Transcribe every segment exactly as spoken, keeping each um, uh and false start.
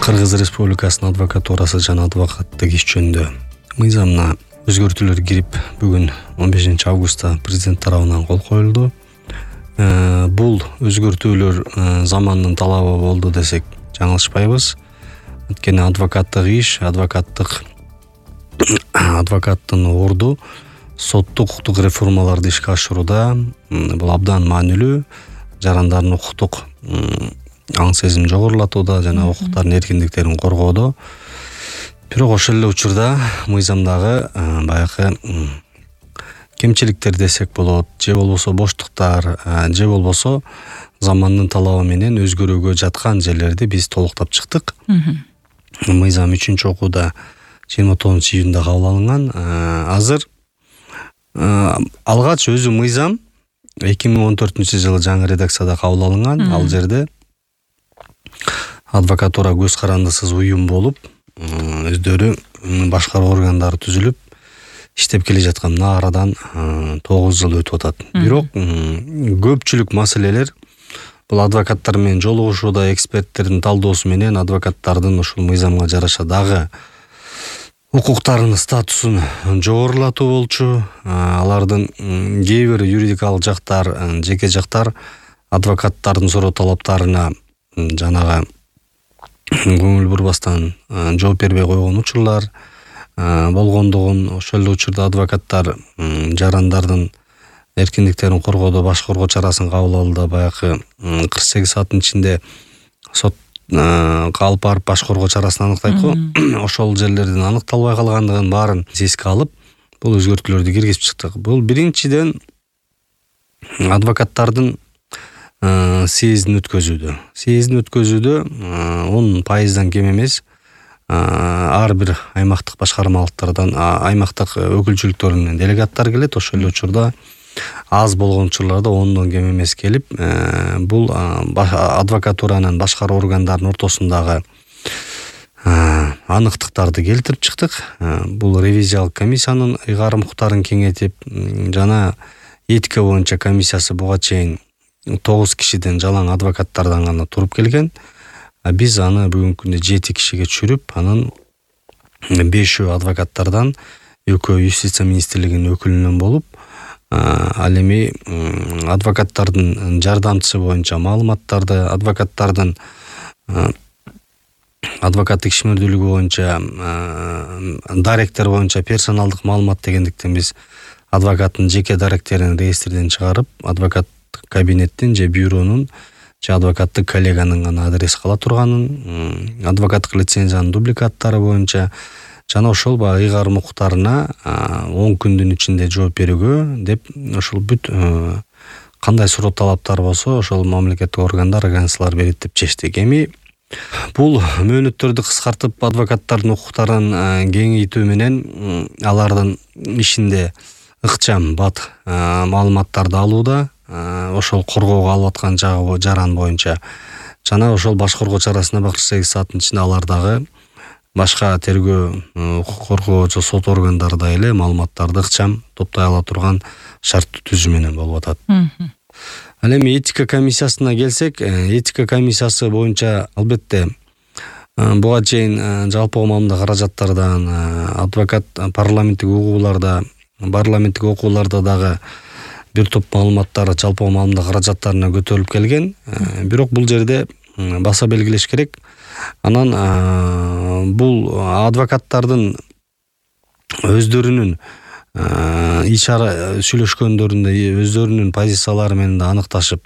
Кыргыз Республикасынын адвокатурасы жана адвокаттык иш жөнүндө мыйзамына өзгөртүүлөр кирип, бүгүн он бешинчи августта президент тарабынан кол коюлду. Бул өзгөртүүлөр замандын талабы болду десек жаңылышпайбыз. Өткені адвокаттык иш, адвокаттык адвокаттын орду соттук укуктук реформаларды ишке ашырууда бул абдан маанилүү, жарандардын укуктук аң сезим жогорулатууда жана укуктардын эркиндиктерин коргоодо. Бирок ошол эле учурда мыйзамдагы баягы кемчиликтер десек болот, же болбосо боштуктар, же болбосо замандын талабы менен өзгөрүүгө жаткан жерлерди биз толуктап чыктык. Мыйзам үчүнчү окууда жыйырма тогузунчу июнда кабыл алынган. Азыр алгач өзү мыйзам эки миң он төртүнчү жылы жаңы редакцияда кабыл алынган. Ал жерде адвокатура көз карандысыз уюм болуп, өздөрү башкаруу органдары түзүлүп иштеп келе жаткан. Мына арадан тогуз жыл өтүп атат. Бирок көпчүлүк маселелер бул адвокаттар менен жолугушууда, эксперттердин талдоосу менен адвокаттардын ушул мыйзамга жараша дагы укуктарынын статусун жогорулатуу болчу. Алардын кээ бир юридикалык жактар, жеке жактар адвокаттардын суроо талаптарына жанагы көңүл бурбастан жооп бербей койгон учурлар болгондугун, ошол эле учурда адвокаттар жарандардын эркиндиктерин коргоодо башкаруу чарасын кабыл алды. Баягы кырк сегиз сааттын ичинде сотко алып барып башкаруу чарасын аныктайт го. Ошол жерлердин аныкталбай калгандыгын баарын эске алып, бул өзгөртүүлөрдү киргизип чыктык. Бул биринчиден адвокаттардын съездин өткөзүүдө. Съездин өткөзүүдө он пайыздан кем эмес ар бир аймактык башкармалыктардан, аймактык өкүлчүлүктөрүнөн делегаттар келет. Ошол эле учурда аз болгон учурларда ондон кем эмес келип, бул адвокатуранын башкаруу органдарынын ортосундагы аныктыктарды келтирип чыктык. Бул ревизиялык комиссиянын ыйгарым укуктарын кеңейтип, жана этика боюнча комиссиясы буга чейин тогуз кишиден жалаң адвокаттардан гана туруп келген. Биз аны бүгүнкү күндө жети кишиге түшүрүп, анын бешөө адвокаттардан, экөө юстиция министрлигинин өкүлүнөн болуп, ал эми адвокаттардын жардамчысы боюнча маалыматтарды, адвокаттардын адвокаттык ишмердүүлүгү боюнча даректер боюнча персоналдык маалымат дегендиктен биз адвокаттын жеке даректерин реестрден чыгарып, адвокат кабинеттин же бюронун же адвокаттык коллеганын гана адрес кала турганын, адвокаттык лицензиянын дубликаттары боюнча жана ошол баягы ыйгарым укуктарына он күндүн ичинде жооп берүүгө деп ошол бүт кандай суроо талаптар болсо ошол мамлекеттик органдар агенциялар берет деп чечтик. Эми бул мөөнөттөрдү кыскартып, адвокаттардын укуктарын кеңейтүү менен алардын ишинде ыкчам бат маалыматтарды алууда, ошол коргоого алып аткан жаран боюнча жана ошол башкаруу чарасына кырк сегиз сааттын ичинде алардагы башка тергөө, укук коргоочу, сот органдары эле маалыматтарды ыкчам топтой ала турган шарттуу түзүү менен болуп атат. Ал эми этика комиссиясына келсек, этика комиссиясы боюнча албетте буга чейин жалпы маалымда каражаттардан, адвокат парламенттик угууларда, парламенттик окууларда дагы бир топ маалыматтар жалпы маалымда каражаттарына көтөрүлүп келген. Бирок бул жерде баса белгилеш керек. Анан бул адвокаттардын өздөрүнүн иш-чара сүйлөшкөндөрүндө өздөрүнүн позициялары менен да аныкташып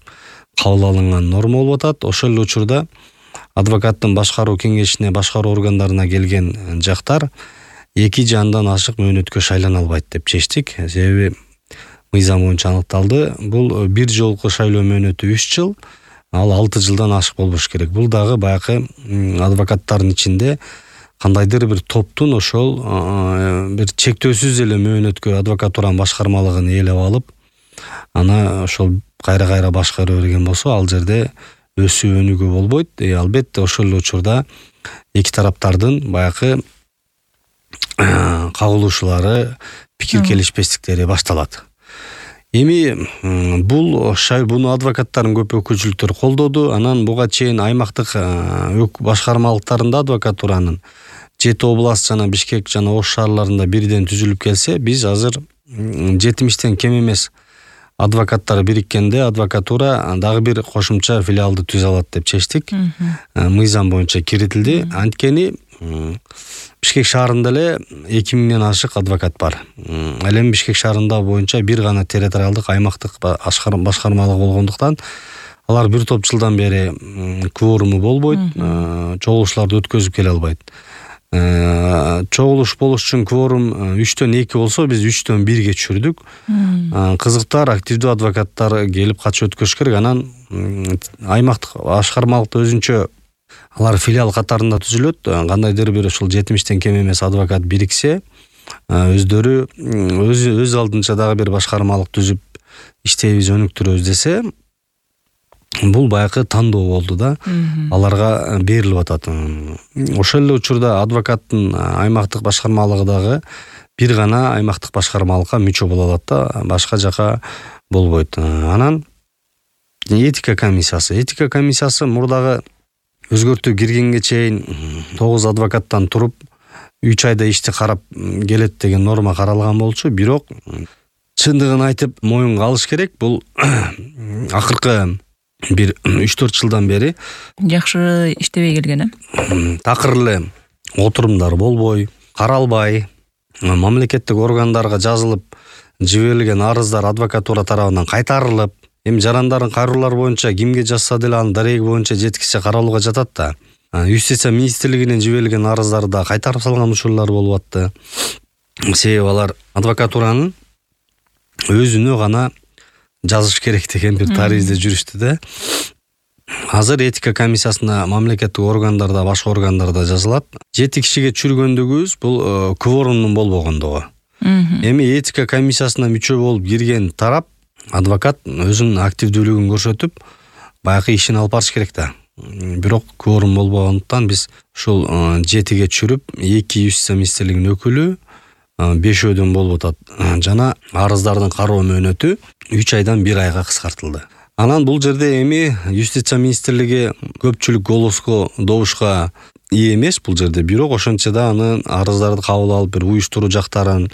кабыл алынган норма болуп атат. Ошол эле учурда адвокаттын башкаруу кеңешине, башкаруу органдарына келген жактар эки же андан ашык мөөнөткө шайлана албайт деп чечтик. Себеби мыйзам боюнча аныкталды. Бул бир жолку шайлоо мөөнөтү үч жыл, ал алты жылдан ашык болбош керек. Бул дагы баягы адвокаттардын ичинде кандайдыр бир топтун ошол бир чектөөсүз эле мөөнөткө адвокатуранын башкармалыгын ээлеп алып, аны ошол кайра-кайра башкара берген болсо, ал жерде өсүү өнүгүү болбойт. Албетте ошол эле учурда эки тараптардын баягы кагылышуулары, пикир келишпестиктери башталат. Эми бул буну адвокаттардын көп өкүлчүлүктөрү колдоду. Анан буга чейин аймактык башкармалыктарында адвокатуранын жети област жана Бишкек жана Ош шаарларында бирден түзүлүп келсе, биз азыр жетимиштен кем эмес адвокаттар бириккенде адвокатура дагы бир кошумча филиалды түзө алат деп чечтик. Мыйзам боюнча киритилди. Анткени Бишкек шаарында эле эки миңден ашык адвокат бар. Ал эми Бишкек шаарында боюнча бир гана территориалдык аймактык башкармалык болгондуктан алар бир топ жылдан бери кворуму болбойт, чогулуштарды өткөзүп келе албайт. Чогулуш болуш үчүн кворум үчтөн эки болсо, биз үчтөн бирге түшүрдүк. Кызыктар, активдүү адвокаттар келип катышып өткөрүш керек. Анан аймактык башкармалыкта өзүнчө алар филиал катарында түзүлөт. Кандайдыр бир ушул жетимиштен кем эмес адвокат бириксе, өздөрү өз өз алдынча дагы бир башкармалык түзүп иштейбиз, өнүктүрөбүз десе, бул баягы тандоо болду да, аларга берилип атат. Ошол эле учурда адвокаттын аймактык башкармалыгы дагы бир гана аймактык башкармалыкка мүчө боло алат да, башка жака болбойт. Анан этика комиссиясы, этика комиссиясы мурдагы өзгөртүү киргенге чейин тогуз адвокаттан туруп үч айда ишти карап келет деген норма каралган болчу. Бирок чындыгын айтып моюнга алыш керек, бул акыркы бир үч төрт жылдан бери жакшы иштебей келген, э? Такыр эле отурумдар болбой, каралбай, мамлекеттик органдарга жазылып жиберилген арыздар адвокатура тарабынан кайтарылып, эми жарандардын кайрылуулары боюнча кимге жазса деле анын дареги боюнча жеткиче каралууга жатат да. Юстиция министрлигинен жиберилген арыздарды да кайтарып салган учурлар болуп атты. Себеби алар адвокатуранын өзүнө гана жазыш керек деген бир таризде жүрүштү да. Азыр этика комиссиясына мамлекеттик органдарда, башка органдарда жазылат. Жети кишиге чүргөндүгүбүз бул кворумдун болбогондугу. Эми этика комиссиясына мүчө болуп кирген тарап адвокат өзүнүн активдүүлүгүн көрсөтүп, баягы ишин алып барыш керек да. Бирок кворум болбогондуктан биз ушул жетиге чүрүп, эки юстиция министрлигинин өкүлү, бешөөдөн болуп атат. Жана арыздардын кароо мөөнөтү үч айдан бир айга кыскартылды. Анан бул жерде эми юстиция министрлиги көпчүлүк голоско, добушка ээ эмес бул жерде. Бирок ошончо да анын арыздарды кабыл алып, бир уюштуруу жактарын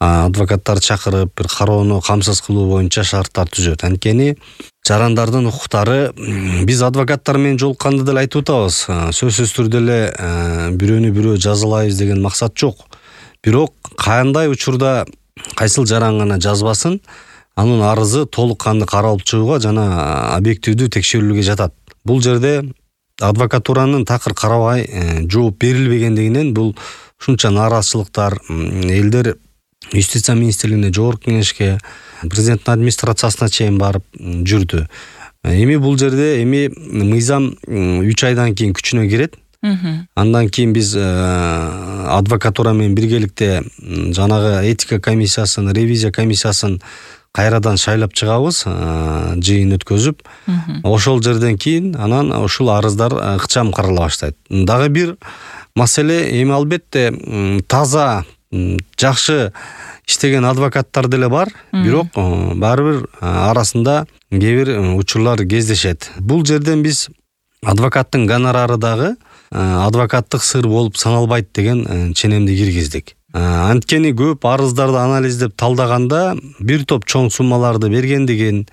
адвокаттар чакырып, бир кароону камсыз кылуу боюнча шарттар түзөт. Анткени жарандардын укуктары биз адвокаттар менен жолукканда деле айтып атабыз. Сөзсүз түрдө эле бирөөнү бирөө жазалайбыз деген максат жок. Бирок кандай учурда кайсыл жаран гана жазбасын, анын арызы толук канды каралып чыгууга жана объективдүү текшерүүлгө жатат. Бул жерде адвокатуранын такыр карабай жооп берилбегендигинен бул ушунча нааразычылыктар, элдер юстиция министрлигине, жогорку кеңешке, президенттин администрациясына чейин барып жүрдү. Эми бул жерде эми мыйзам үч айдан кийин күчүнө кирет. Андан кийин биз адвокатура менен биргеликте жанагы этика комиссиясын, ревизия комиссиясын кайрадан шайлап чыгабыз, жыйын өткөзүп. Ошол жерден кийин анан ушул арыздар ыкчам карала баштайт. Дагы бир маселе, эми албетте таза, жакшы иштеген адвокаттар деле бар, бирок баары бир арасында кээ бир учурлар кездешет. Бул жерден биз адвокаттын гонорары дагы адвокаттык сыр болуп саналбайт деген ченемди киргиздик. Анткени көп арыздарды анализдеп талдаганда бир топ чоң суммаларды бергендигин,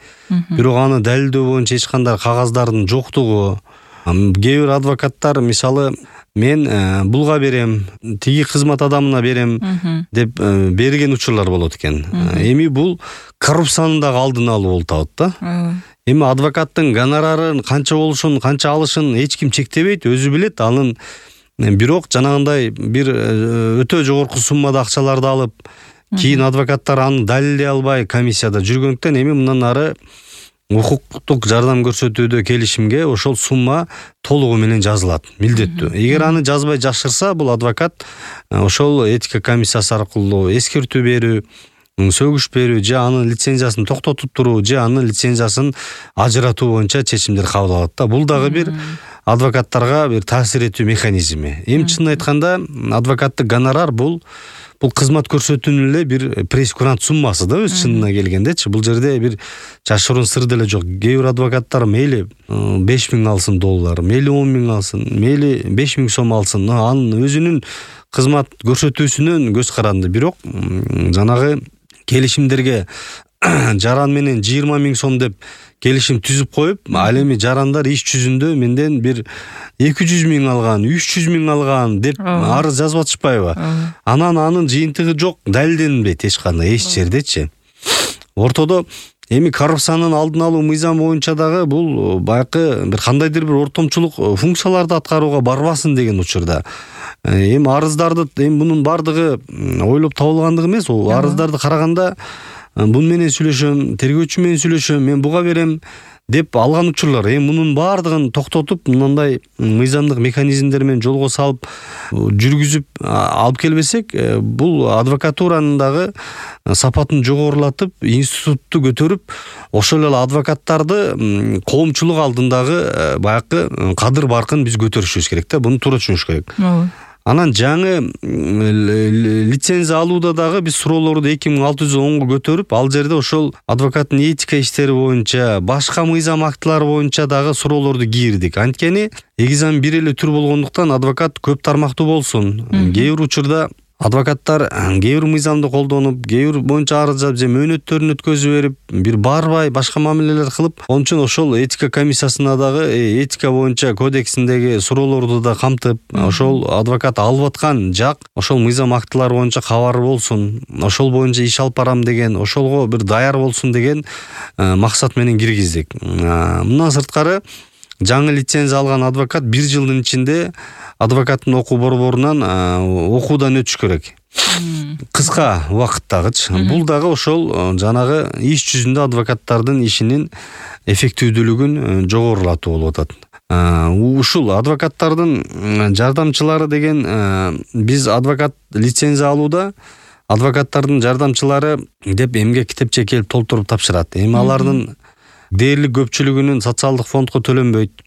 бирок аны далилдөө боюнча эч кандай кагаздардын жоктугу, кээ бир адвокаттар мисалы мен булга берем, тиги кызмат адамына берем деп берген учурлар болот экен. Эми бул коррупциянын дагы алдын алуу болуп атат да. Эми адвокаттын гонорарын канча болушун, канча алышын эч ким чектебейт, өзү билет. Анын бирок жанагындай бир өтө жогорку суммада акчаларды алып, кийин адвокаттар аны далилдей албай комиссияда жүргөндүктөн эми мындан ары укуктук жардам көрсөтүүдө келишимге ошол сумма толугу менен жазылат, милдеттүү. Эгер аны жазбай жашырса, бул адвокат ошол этика комиссиясы аркылуу эскертүү берүү, сөгүш берүү, же анын лицензиясын токтотуп туруу, же анын лицензиясын ажыратуу боюнча чечимдер кабыл алат да. Бул дагы бир адвокаттарга бир таасир этүү механизми. Эми чынын айтканда адвокаттык гонорар бул бул кызмат көрсөтүүнүн эле бир пресс-курант суммасы да, өз чынына келгендечи. Бул жерде бир жашыруун сыр деле жок. Кээ бир адвокаттар мейли беш миң алсын доллар, мейли он миң алсын, мейли беш миң сом алсын, анын өзүнүн кызмат көрсөтүүсүнөн көз каранды. Бирок жанагы келишимдерге жаран менен жыйырма миң сом деп келишим түзүп коюп, ал эми жарандар иш жүзүндө менден бир эки жүз миң алган, үч жүз миң алган деп арыз жазып атышпайбы? Анан анын жыйынтыгы жок, далилденбейт эч кандай эч жердечи. Ортодо эми коррупциянын алдын алуу мыйзам боюнча дагы бул баягы бир кандайдыр бир ортомчулук функцияларды аткарууга барбасын деген учурда. Эми арыздарды эми мунун бардыгы ойлоп табылгандыгы эмес, арыздарды караганда бун менен сүйлөшөм, тергөөчү менен сүйлөшөм, мен буга берем деп алган учурлар. Эми мунун бардыгын токтотуп, мындай мыйзамдык механизмдер менен жолго салып, жүргүзүп алып келбесек, бул адвокатуранын дагы сапатын жогорулатып, институтту көтөрүп, ошол эле адвокаттарды коомчулук алдындагы баягы кадыр баркын биз көтөрүшүбүз керек да. Буну туура түшүнүш керек. Анан жаңы лицензия алууда дагы биз суроолорду эки миң алты жүз онго көтөрүп, ал жерде ошол адвокаттын этика иштери боюнча, башка мыйзам актылары боюнча дагы суроолорду кийирдик. Анткени эгзам бир эле түр болгондуктан адвокат көп тармактуу болсун. Кээ бир учурда адвокаттар кээ бир мыйзамды колдонуп, кээ бир боюнча арыз жазып, же мөөнөттөрүн өткөзүп берип, бир барбай башка мамилелер кылып, ошон үчүн ошол этика комиссиясына дагы этика боюнча кодексиндеги суроолорду да камтып, ошол адвокат алып аткан жак ошол мыйзам актылары боюнча кабары болсун, ошол боюнча иш алып барам деген, ошолго бир даяр болсун деген максат менен киргиздик. Мындан сырткары жаңы лицензия алган адвокат бир жылдын ичинде адвокаттын окуу борборунан окуудан өтүш керек. Кыска убакыттагычы. Бул дагы ошол жанагы иш жүзүндө адвокаттардын ишинин эффективдүүлүгүн жогорулатуу болуп атат. Ушул адвокаттардын жардамчылары деген, биз адвокат лицензия алууда адвокаттардын жардамчылары деп эмгек китепче келип толтуруп тапшырат. Эми алардын дээрлик көпчүлүгүнүн социалдык фондко төлөнбөйт.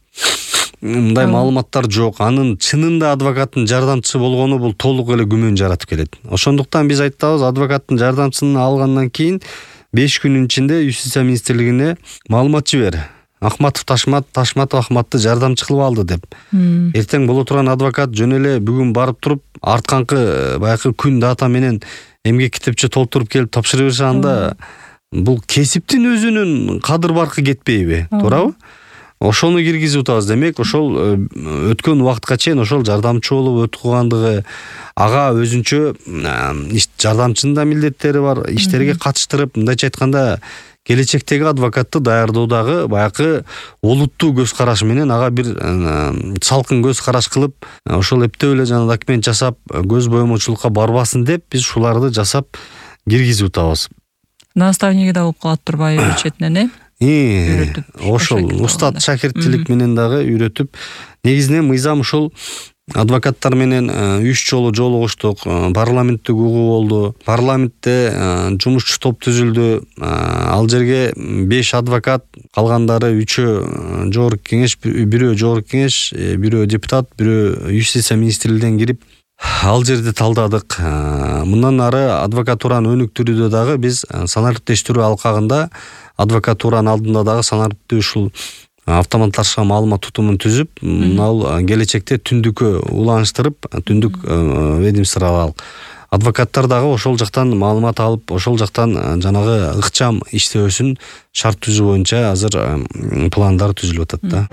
Мындай маалыматтар жок. Анын чынында адвокаттын жардамчысы болгону бул толук эле күмөн жаратып келет. Ошондуктан биз айтабыз, адвокаттын жардамчысын алгандан кийин беш күнүн ичинде Юстиция министрлигине маалымат жибер. Ахматов Ташмат, Ташматов Ахматты жардамчы кылып алды деп. Эртең боло турган адвокат жөн эле бүгүн барып туруп, артканкы баягы күн дата менен эмгек китепче толтуруп келип тапшыра берсе, анда бул кесиптин өзүнүн кадыр баркы кетпейби? Туурабы? Ошону киргизип атабыз. Демек, ошол өткөн убакытка чейин ошол жардамчы болуп өткөгөндүгү, ага өзүнчө жардамчынын да милдеттери бар, иштерге катыштырып, мындайча айтканда, келечектеги адвокатты даярдоодагы баягы олуттуу көз караш менен ага бир салкын көз караш кылып, ошол эптеп эле жана документ жасап, көз боемочулукка барбасын деп биз ушуларды жасап киргизип атабыз. Наставниги да болуп калат турбайбы четинен, э? Ошол устат шакирттилик менен дагы үйрөтүп, негизинен мыйзам ушул адвокаттар менен үч жолу жолугуштук, парламенттик угуу болду. Парламентте жумушчу топ түзүлдү. Ал жерге беш адвокат, калгандары үчөө жогорку кеңеш, бирөө жогорку кеңеш, бирөө депутат, бирөө Юстиция министрлигинен кирип ал жерде талдадык. Мындан ары адвокатураны өнүктүрүүдө дагы биз санариптештирүү алкагында адвокатуранын алдында дагы санариптүү ушул автоматташкан маалымат тутумун түзүп, мынау келечекте түндүккө уланыштырып, түндүк ведомстволор адвокаттар дагы ошол жактан маалымат алып, ошол жактан жанагы ыкчам иштөөсүн шарт түзүү боюнча азыр пландар түзүлүп атат да.